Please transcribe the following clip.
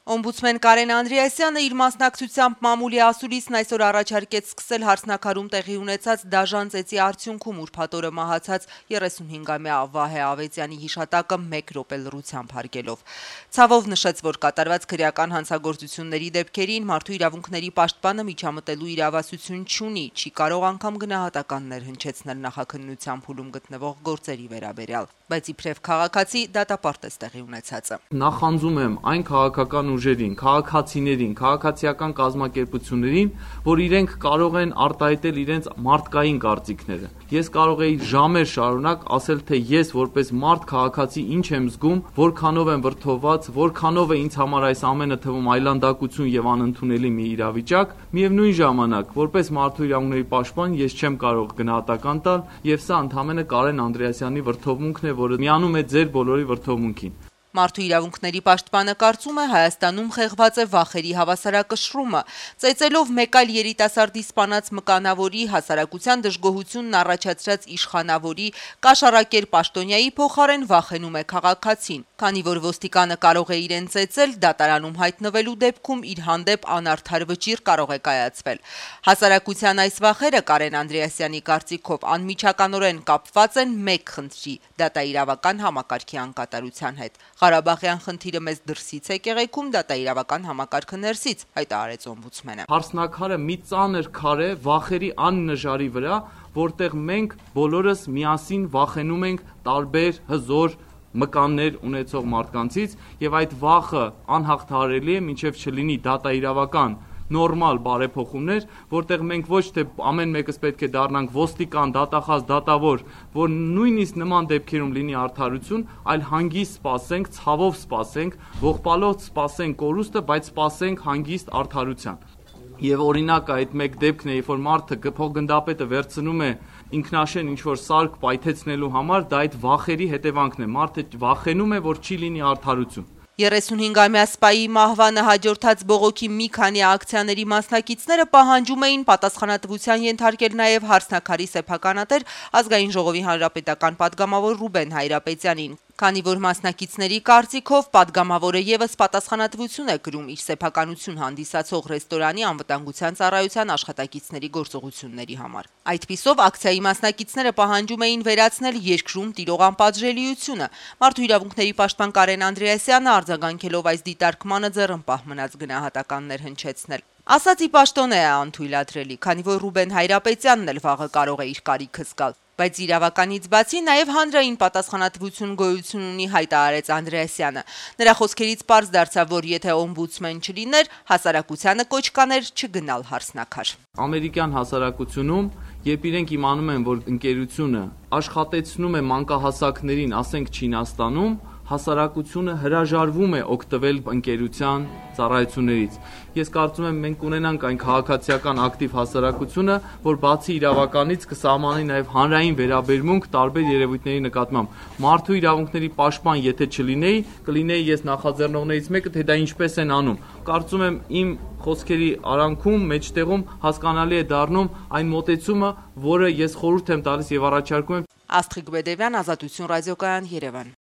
Օմբուդսմեն Կարեն Անդրեասյանը իր մասնակցությամբ մամուլի ասուլիսն այսօր առաջարկեց սկսել Հարսնաքարում տեղի ունեցած դաժան ծեծի արդյունքում ուրբաթ օրը մահացած 35-ամյա Վահե Ավետյանի հիշատակը 1 րոպե լռությամբ հարգելով։ Ցավով նշեց, որ կատարված քրեական հանցագործությունների դեպքերին մարդու իրավունքների պաշտպանը միջամտելու իրավասություն չունի, չի կարող անգամ գնահատականներ հնչեցնել նախաքննության փուլում գտնվող գործերի վերաբերյալ, բայց իբրև քաղաքացի դատապարտեց տեղի ունեցածը։ Նախանձում եմ այն քաղաքական ուժերին, քաղաքացիներին, քաղաքացիական կազմակերպություններին, որ իրենք կարող են արտահայտել իրենց մարդկային կարծիքները։ Ես կարող եի ժամեր շարունակ ասել, թե ես որպես մարդ քաղաքացի ինչ եմ զգում, որքանով եմ վրդովված, որքանով է ինձ համար այս ամենը թվում այլանդակություն եւ անընդունելի մի իրավիճակ, միևնույն ժամանակ, որպես մարդու իրավունքների պաշտպան ես չեմ կարող գնահատական տալ, եւ սա ընդհանրապես Կարեն Անդրեասյանի վրդովմունքն է, որը միանում է ձեր բոլորի վրդովմունքին։ Մարդու իրավունքների պաշտպանը կարծում է Հայաստանում խեղված է վախերի հավասարակշռումը, ծեծելով մեկ այլ երիտասարդի սպանած մկանավորի հասարակության դժգոհությունն առաջացրած իշխանավորի կաշառակեր պաշտոնյայի փոխարեն վախենում է քաղաքացին, քանի որ ոստիկանը կարող է իրեն ծեծել, դատարանում հայտնվելու դեպքում իր հանդեպ անարդար վճիռ կարող է կայացվել։ Հասարակության այս վախերը Կարեն Անդրեասյանի կարծիքով անմիջականորեն կապված են մեկ խնդրի՝ դատաիրավական համակարգի անկատարության հետ։ Ղարաբաղյան խնդիրը մեզ դրսից է կեղեքում, դատաիրավական համակարգը ներսից, հայտարարեց օմբուդսմենը։ Հարսնաքարը մի ծանր քար է վախերի աննժարի վրա, որտեղ մենք բոլորս միասին վախենում ենք տարբեր հզոր մկաններ ունեցող մարդկանցից, եւ այդ վախը անհաղթահարելի է, մինչև չլինի դատաիրավական նորմալ բարեփոխումներ, որտեղ մենք ոչ թե ամեն մեկս պետք է դառնանք ոստիկան, դատախազ, դատավոր, որ նույնիսկ նման դեպքերում լինի արդարություն, այլ հանգիստ սպասենք, ցավով սպասենք, ողբալով սպասենք կորուստը, բայց սպասենք հանգիստ արդարության։ Եվ օրինակ այդ մեկ դեպքն է, երբ որ մարդը փոխգնդապետը վերցնում է ինքնաշեն ինչ-որ սարք պայթեցնելու համար, դա այդ վախերի հետևանքն է։ Մարդը վախենում է, որ չի լինի արդարություն։ 35-ամյա սպայի մահվանը հաջորդած բողոքի մի քանի ակցիաների մասնակիցները պահանջում էին պատասխանատվության ենթարկել նաև Հարսնաքարի սեփականատեր Ազգային ժողովի հանրապետական պատգամավոր Ռուբեն Հայրապետյանին, քանի որ մասնակիցների կարծիքով պատգամավորը եւս պատասխանատվություն է կրում իր սեփականություն հանդիսացող ռեստորանի անվտանգության ծառայության աշխատակիցների գործողությունների համար։ Այդպիսով ակցիայի մասնակիցները պահանջում էին վերացնել երկրում տիրող անպատժելիությունը։ Մարդու իրավունքների պաշտպան Կարեն Անդրեասյանը արձագանքելով այս դիտարկմանը ձեռնպահ մնաց գնահատականներ հնչեցնել։ Ասացի պաշտոն է անթույլատրելի, քանի որ Ռուբեն Հայրապետյանն էլ վաղը կարող է իր կարիքը զգալ։ Բայց իրավականից բացի նաև հանրային պատասխանատվություն գոյություն ունի, հայտարարեց Անդրեասյանը։ Նրա խոսքերից պարզ դարձավ, որ եթե օմբուդսմեն չլիներ, հասարակությանը կոչ կաներ չգնալ Հարսնաքար։ Ամերիկյան հասարակությունում, երբ իրենք իմանում են, որ ընկերությունը աշխատեցնում է մանկահասակներին, ասենք Չինաստանում, հասարակությունը հրաժարվում է օգտվել ընկերության ծառայություններից։ Ես կարծում եմ մենք ունենանք այն քաղաքացիական ակտիվ հասարակությունը, որ բացի իրավականից կսահմանի նաև հանրային վերաբերմունք տարբեր երևույթների նկատմամբ։ Մարդու իրավունքների պաշտպան եթե չլինեի, կլինեի ես նախաձեռնողներից մեկը, թե դա ինչպես են անում։ Կարծում եմ իմ խոսքերի արանքում, մեջտեղում հասկանալի է դառնում այն մոտեցումը, որը ես խորհուրդ եմ տալիս եւ առաջարկում եմ։ Աստղիկ Բեդևյան, Ազատություն ռադիոկայան, Երևան։